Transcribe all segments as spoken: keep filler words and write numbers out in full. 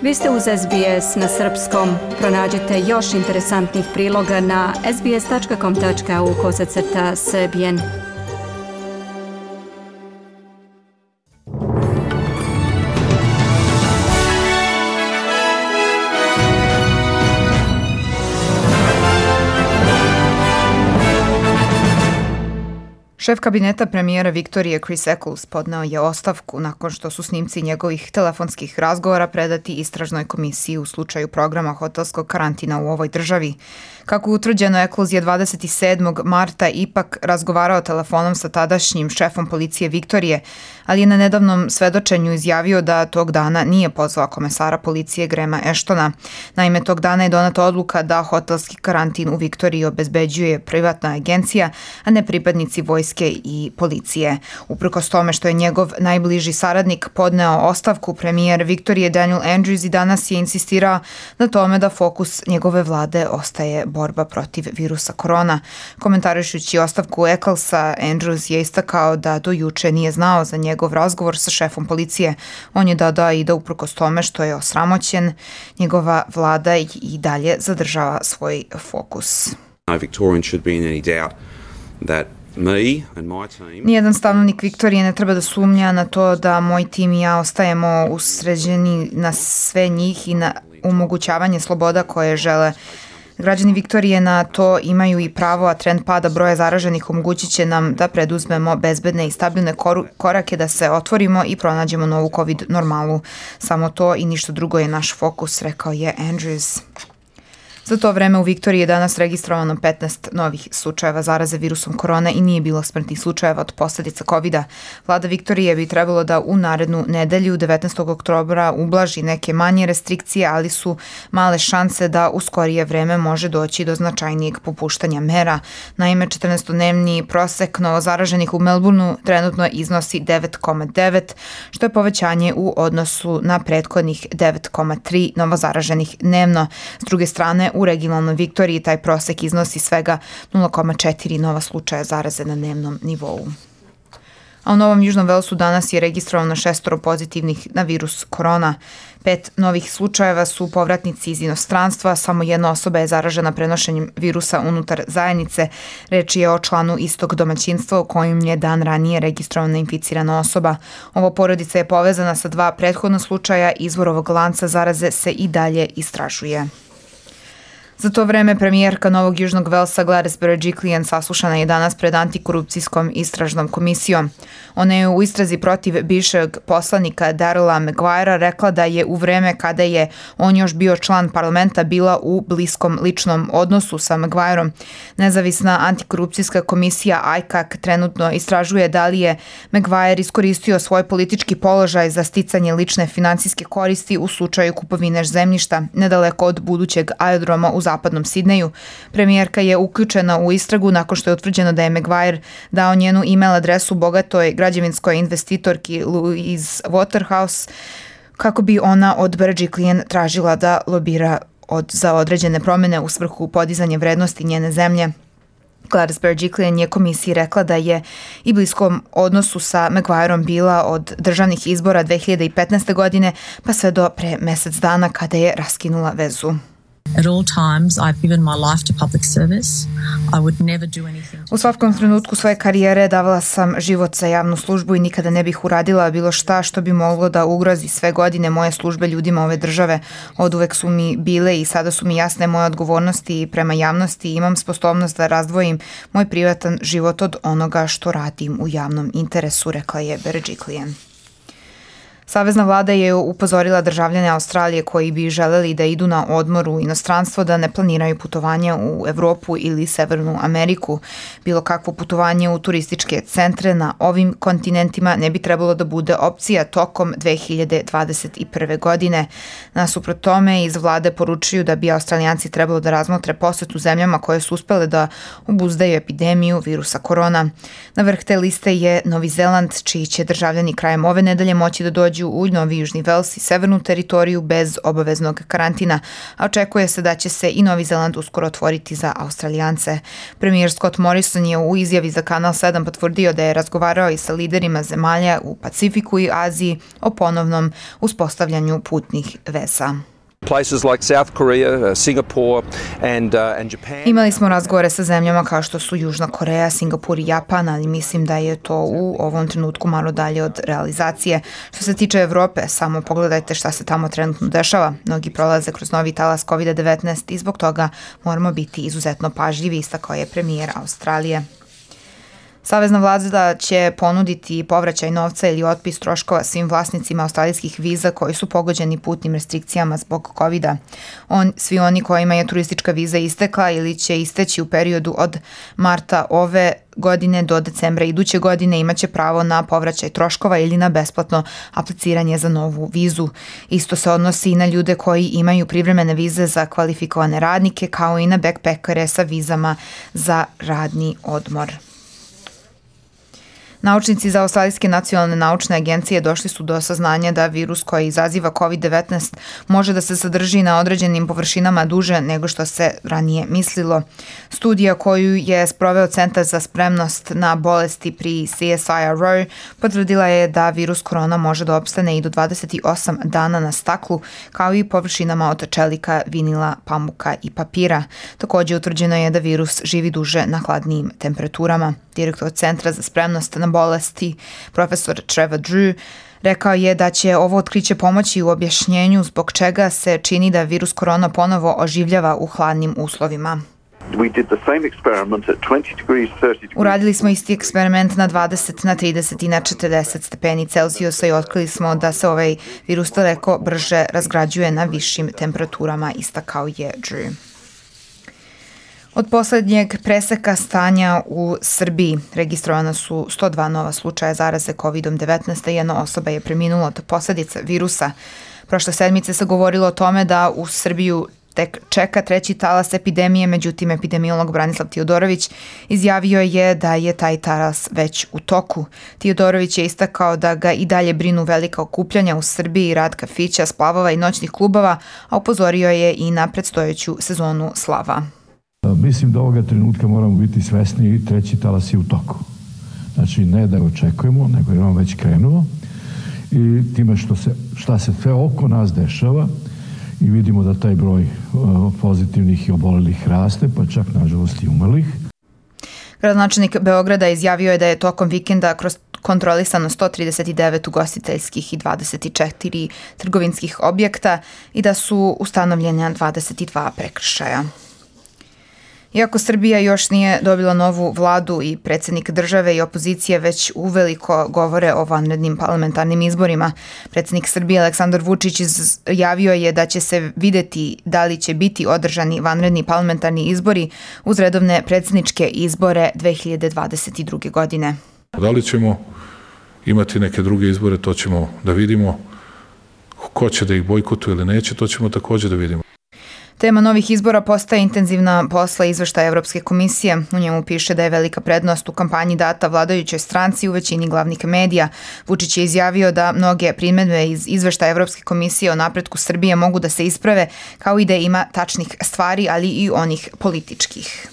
Vi ste uz S B S na srpskom. Pronađite još interesantnih priloga na sbs.com.au kosacrta srbijen. Šef kabineta premijera Viktorije Chris Eccles podneo je ostavku nakon što su snimci njegovih telefonskih razgovora predati istražnoj komisiji u slučaju programa hotelskog karantina u ovoj državi. Kako je utvrđeno, Eccles je dvadeset sedmog marta ipak razgovarao telefonom sa tadašnjim šefom policije Viktorije, ali je na nedavnom svedočenju izjavio da tog dana nije pozvao komesara policije Grahama Ashtona. Naime, tog dana je doneta odluka da hotelski karantin u Viktoriji obezbeđuje privatna agencija, a ne pripadnici vojske i policije. Uprkos tome što je njegov najbliži saradnik podneo ostavku, premijer Viktorije Daniel Andrews i danas je insistirao na tome da fokus njegove vlade ostaje borba protiv virusa korona. Komentarišući ostavku Ecclesa, Andrews je istakao da do juče nije znao za njegov razgovor sa šefom policije. On je dodao i da uprkos tome što je osramoćen, njegova vlada i dalje zadržava svoj fokus. No Victorian should be in any doubt that Nijedan stanovnik Viktorije ne treba da sumnja na to da moj tim i ja ostajemo usređeni na sve njih i na omogućavanje sloboda koje žele. Građani Viktorije na to imaju i pravo, a trend pada broja zaraženih omogućit će nam da preduzmemo bezbedne i stabilne korake da se otvorimo i pronađemo novu COVID normalu. Samo to i ništa drugo je naš fokus, rekao je Andrews. Za to vreme u Viktoriji je danas registrovano petnaest novih slučajeva zaraze virusom korona i nije bilo smrtnih slučajeva od posljedica kovida. Vlada Viktorije bi trebalo da u narednu nedelju devetnaestog oktobra ublaži neke manje restrikcije, ali su male šanse da u skorije vreme može doći do značajnijeg popuštanja mera. Naime, četrnaestodnevni prosek novozaraženih u Melbourneu trenutno iznosi devet zarez devet, što je povećanje u odnosu na prethodnih devet zarez tri novozaraženih dnevno. S druge strane, u regionalnoj Viktoriji taj prosek iznosi svega nula zarez četiri nova slučaja zaraze na dnevnom nivou. A u Novom Južnom Velsu danas je registrovano šestoro pozitivnih na virus korona. Pet novih slučajeva su povratnici iz inostranstva, samo jedna osoba je zaražena prenošenjem virusa unutar zajednice. Reč je o članu istog domaćinstva u kojim je dan ranije registrovana inficirana osoba. Ova porodica je povezana sa dva prethodna slučaja, izvor ovog lanca zaraze se i dalje istražuje. Za to vreme premijerka Novog Južnog Velsa Gladys Berejiklian saslušana je danas pred antikorupcijskom istražnom komisijom. Ona je u istrazi protiv bivšeg poslanika Darryla Maguirea rekla da je u vreme kada je on još bio član parlamenta bila u bliskom ličnom odnosu sa Maguireom. Nezavisna antikorupcijska komisija I C A C trenutno istražuje da li je Maguire iskoristio svoj politički položaj za sticanje lične finansijske koristi u slučaju kupovine zemljišta nedaleko od budućeg aerodroma u zapadnom Sidneju. Premijerka je uključena u istragu nakon što je utvrđeno da je Maguire dao njenu e-mail adresu bogatoj građevinskoj investitorki Louise Waterhouse kako bi ona od Berejiklian tražila da lobira od, za određene promjene u svrhu podizanja vrednosti njene zemlje. Gladys Berejiklian je komisiji rekla da je i bliskom odnosu sa Maguireom bila od državnih izbora dve hiljade petnaeste. godine pa sve do pre mesec dana kada je raskinula vezu. At all times I've given my life to public service. I would never do anything. U svakom trenutku svoje karijere davala sam život za javnu službu i nikada ne bih uradila bilo šta što bi moglo da ugrozi sve godine moje službe ljudima ove države. Oduvek su mi bile i sada su mi jasne moje odgovornosti prema javnosti i imam sposobnost da razdvojim moj privatan život od onoga što radim u javnom interesu, rekla je Berejiklian. Savezna vlada je upozorila državljane Australije koji bi želeli da idu na odmor u inostranstvo da ne planiraju putovanje u Evropu ili Severnu Ameriku. Bilo kakvo putovanje u turističke centre na ovim kontinentima ne bi trebalo da bude opcija tokom dve hiljade dvadeset prve. godine. Nasuprot tome, iz vlade poručuju da bi Australijanci trebalo da razmotre posetu zemljama koje su uspele da obuzdaju epidemiju virusa korona. Na vrh te liste je Novi Zeland, čiji će državljani krajem ove nedelje moći da dođu dođu u Novi Južni Vels i severnu teritoriju bez obaveznog karantina, a očekuje se da će se i Novi Zeland uskoro otvoriti za Australijance. Premijer Scott Morrison je u izjavi za Kanal sedam potvrdio da je razgovarao i sa liderima zemalja u Pacifiku i Aziji o ponovnom uspostavljanju putnih veza. Places like South Korea, Singapore and, uh, and Japan. Imali smo razgovore sa zemljama kao što su Južna Koreja, Singapur i Japan, ali mislim da je to u ovom trenutku malo dalje od realizacije. Što se tiče Evrope, samo pogledajte šta se tamo trenutno dešava. Mnogi prolaze kroz novi talas kovid devetnaest i zbog toga moramo biti izuzetno pažljivi, istakao je premijer Australije. Savezna vlada će ponuditi povraćaj novca ili otpis troškova svim vlasnicima australijskih viza koji su pogođeni putnim restrikcijama zbog kovida. On, svi oni kojima je turistička viza istekla ili će isteći u periodu od marta ove godine do decembra iduće godine imaće pravo na povraćaj troškova ili na besplatno apliciranje za novu vizu. Isto se odnosi i na ljude koji imaju privremene vize za kvalifikovane radnike kao i na backpackere sa vizama za radni odmor. Naučnici za Australijske nacionalne naučne agencije došli su do saznanja da virus koji izaziva kovid devetnaest može da se zadrži na određenim površinama duže nego što se ranije mislilo. Studija koju je sproveo Centar za spremnost na bolesti pri C S I R O potvrdila je da virus korona može da opstane i do dvadeset osam dana na staklu, kao i površinama od čelika, vinila, pamuka i papira. Također utvrđeno je da virus živi duže na hladnijim temperaturama. Direktor Centra za spremnost na bolesti, profesor Trevor Drew, rekao je da će ovo otkriće pomoći u objašnjenju zbog čega se čini da virus korona ponovo oživljava u hladnim uslovima. Uradili smo isti eksperiment na dvadeset, na trideset i na četrdeset stepeni Celzijusa i otkrili smo da se ovaj virus daleko brže razgrađuje na višim temperaturama, istakao je Drew. Od poslednjeg preseka stanja u Srbiji registrovana su sto dva nova slučaja zaraze kovid devetnaest, a jedna osoba je preminula od posledica virusa. Prošle sedmice se govorilo o tome da u Srbiju tek čeka treći talas epidemije, međutim epidemiolog Branislav Tiodorović izjavio je da je taj talas već u toku. Tiodorović je istakao da ga i dalje brinu velika okupljanja u Srbiji, rad kafića, splavova i noćnih klubova, a upozorio je i na predstojeću sezonu slava. Mislim da ovoga trenutka moramo biti svesni i treći talas je u toku. Znači ne da ga očekujemo, nego je on već krenuo i time što se, šta se sve oko nas dešava i vidimo da taj broj uh, pozitivnih i obolelih raste, pa čak nažalost i umrlih. Gradonačelnik Beograda izjavio je da je tokom vikenda kroz kontrolisano sto trideset devet ugostiteljskih i dvadeset četiri trgovinskih objekta i da su ustanovljena dvadeset dva prekršaja. Iako Srbija još nije dobila novu vladu i predsjednik države i opozicije već uveliko govore o vanrednim parlamentarnim izborima, predsjednik Srbije Aleksandar Vučić izjavio je da će se videti da li će biti održani vanredni parlamentarni izbori uz redovne predsjedničke izbore dve hiljade dvadeset druge. godine. Da li ćemo imati neke druge izbore, to ćemo da vidimo. Ko će da ih bojkotuje ili neće, to ćemo također da vidimo. Tema novih izbora postaje intenzivna posla izveštaja Evropske komisije. U njemu piše da je velika prednost u kampanji data vladajućoj stranci u većini glavnih medija. Vučić je izjavio da mnoge primedbe iz izveštaja Evropske komisije o napretku Srbije mogu da se isprave, kao i da ima tačnih stvari, ali i onih političkih.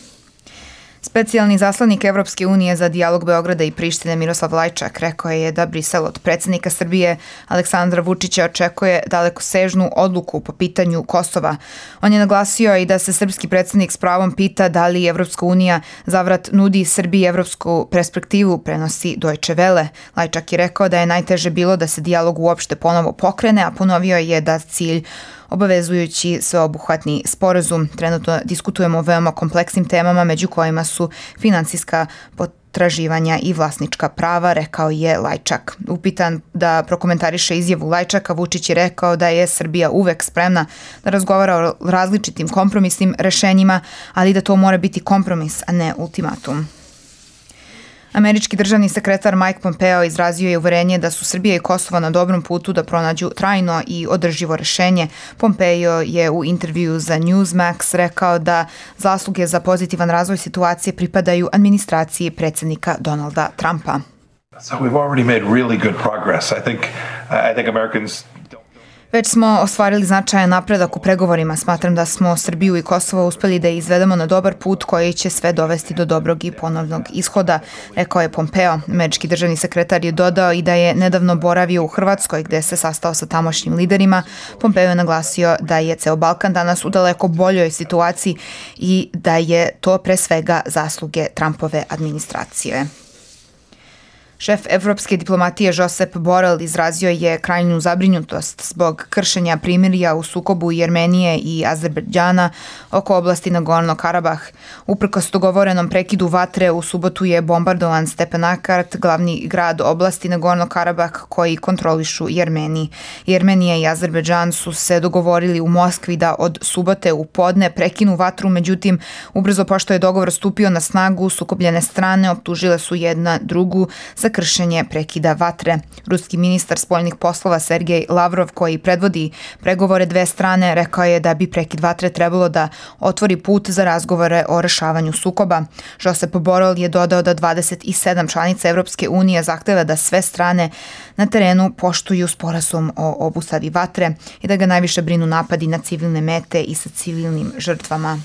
Specijalni zaslanik Evropske unije za dijalog Beograda i Prištine Miroslav Lajčak rekao je da Brisel od predsjednika Srbije Aleksandra Vučića očekuje dalekosežnu odluku po pitanju Kosova. On je naglasio i da se srpski predsjednik s pravom pita da li Evropska unija zavrat nudi Srbiji evropsku perspektivu, prenosi Deutsche Welle. Lajčak je rekao da je najteže bilo da se dijalog uopšte ponovo pokrene, a ponovio je da cilj obavezujući sveobuhvatni sporazum. Trenutno diskutujemo o veoma kompleksnim temama, među kojima su finansijska potraživanja i vlasnička prava, rekao je Lajčak. Upitan da prokomentariše izjavu Lajčaka, Vučić je rekao da je Srbija uvek spremna da razgovara o različitim kompromisnim rešenjima, ali da to mora biti kompromis, a ne ultimatum. Američki državni sekretar Mike Pompeo izrazio je uverenje da su Srbija i Kosovo na dobrom putu da pronađu trajno i održivo rešenje. Pompeo je u intervju za Newsmax rekao da zasluge za pozitivan razvoj situacije pripadaju administraciji predsjednika Donalda Trumpa. So we've already made really good progress. I think I think Americans Već smo ostvarili značajan napredak u pregovorima. Smatram da smo Srbiju i Kosovo uspeli da izvedemo na dobar put koji će sve dovesti do dobrog i ponovnog ishoda, rekao je Pompeo. Američki državni sekretar je dodao i da je nedavno boravio u Hrvatskoj gde se sastao sa tamošnjim liderima. Pompeo je naglasio da je ceo Balkan danas u daleko boljoj situaciji i da je to pre svega zasluge Trumpove administracije. Šef evropske diplomatije Josep Borrell izrazio je krajnju zabrinutost zbog kršenja primirja u sukobu Jermenije i Azerbejdžana oko oblasti Nagorno-Karabah. Uprkos dogovorenom prekidu vatre u subotu je bombardovan Stepanakert, glavni grad oblasti Nagorno-Karabah koji kontrolišu Jermeni. Jermenija i Azerbejdžan su se dogovorili u Moskvi da od subote u podne prekinu vatru, međutim, ubrzo pošto je dogovor stupio na snagu, sukobljene strane optužile su jedna drugu za kršenje prekida vatre. Ruski ministar spoljnih poslova Sergej Lavrov, koji predvodi pregovore dve strane, rekao je da bi prekid vatre trebalo da otvori put za razgovore o rešavanju sukoba. Josep Borrell je dodao da dvadeset sedam članica Evropske unije zahteva da sve strane na terenu poštuju sporazum o obustavi vatre i da ga najviše brinu napadi na civilne mete i sa civilnim žrtvama.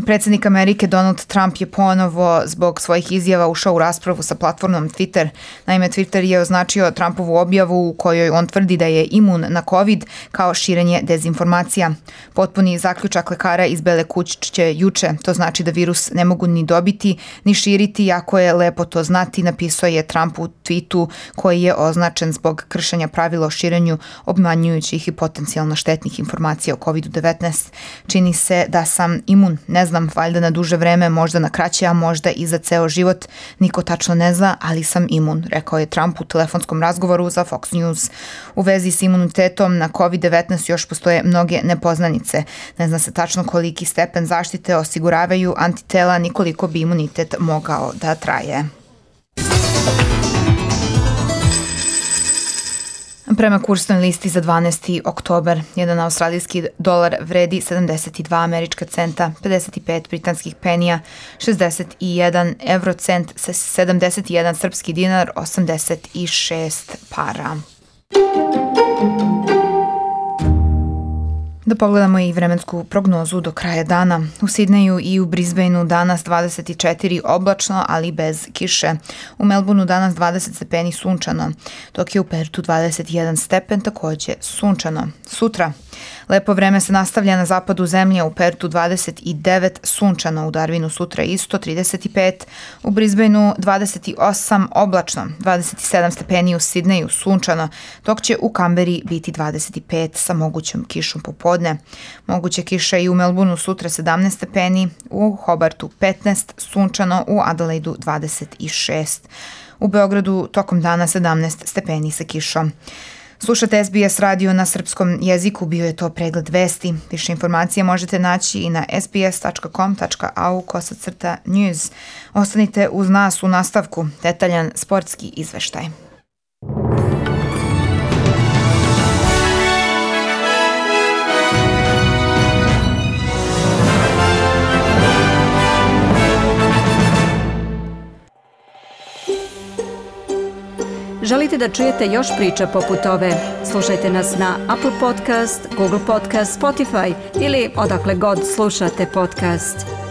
Predsjednik Amerike Donald Trump je ponovo zbog svojih izjava ušao u raspravu sa platformom Twitter. Naime, Twitter je označio Trumpovu objavu u kojoj on tvrdi da je imun na COVID kao širenje dezinformacija. Potpuni zaključak lekara iz Bele kuće juče. To znači da virus ne mogu ni dobiti, ni širiti, jako je lepo to znati, napisao je Trump u tweetu koji je označen zbog kršenja pravila o širenju obmanjujućih i potencijalno štetnih informacija o kovid devetnaest. Čini se da sam imun, ne znam, valjda na duže vreme, možda na kraće, a možda i za ceo život. Niko tačno ne zna, ali sam imun, rekao je Trump u telefonskom razgovoru za Fox News. U vezi s imunitetom na kovid devetnaest još postoje mnoge nepoznanice. Ne zna se tačno koliki stepen zaštite osiguravaju antitela, ni koliko bi imunitet mogao da traje. Prema kursnoj listi za dvanaesti oktobar, jedan australijski dolar vredi sedamdeset dva američka centa, pedeset pet britanskih penija, šezdeset jedan evrocent, sedamdeset jedan srpski dinar, osamdeset šest para. Da pogledamo i vremensku prognozu do kraja dana. U Sidneju i u Brisbaneu danas dvadeset četiri oblačno, ali bez kiše. U Melbourneu danas dvadeset stepeni sunčano, dok je u Pertu dvadeset jedan stepen takođe sunčano. Sutra lepo vreme se nastavlja na zapadu zemlje, u Pertu dvadeset devet sunčano, u Darwinu sutra isto trideset pet, u Brisbaneu dvadeset osam oblačno, dvadeset sedam stepeni u Sidneju sunčano, dok će u Kamberi biti dvadeset pet sa mogućom kišom popodne. Moguće kiša i u Melbourneu sutra sedamnaest stepeni, u Hobartu petnaest sunčano, u Adelaidu dvadeset šest. U Beogradu tokom dana sedamnaest stepeni sa kišom. Slušate S B S radio na srpskom jeziku, bio je to pregled vesti. Više informacija možete naći i na sbs tačka com tačka a u kosacrta news. Ostanite uz nas u nastavku, detaljan sportski izveštaj. Želite da čujete još priča poput ove? Slušajte nas na Apple Podcast, Google Podcast, Spotify ili odakle god slušate podcast.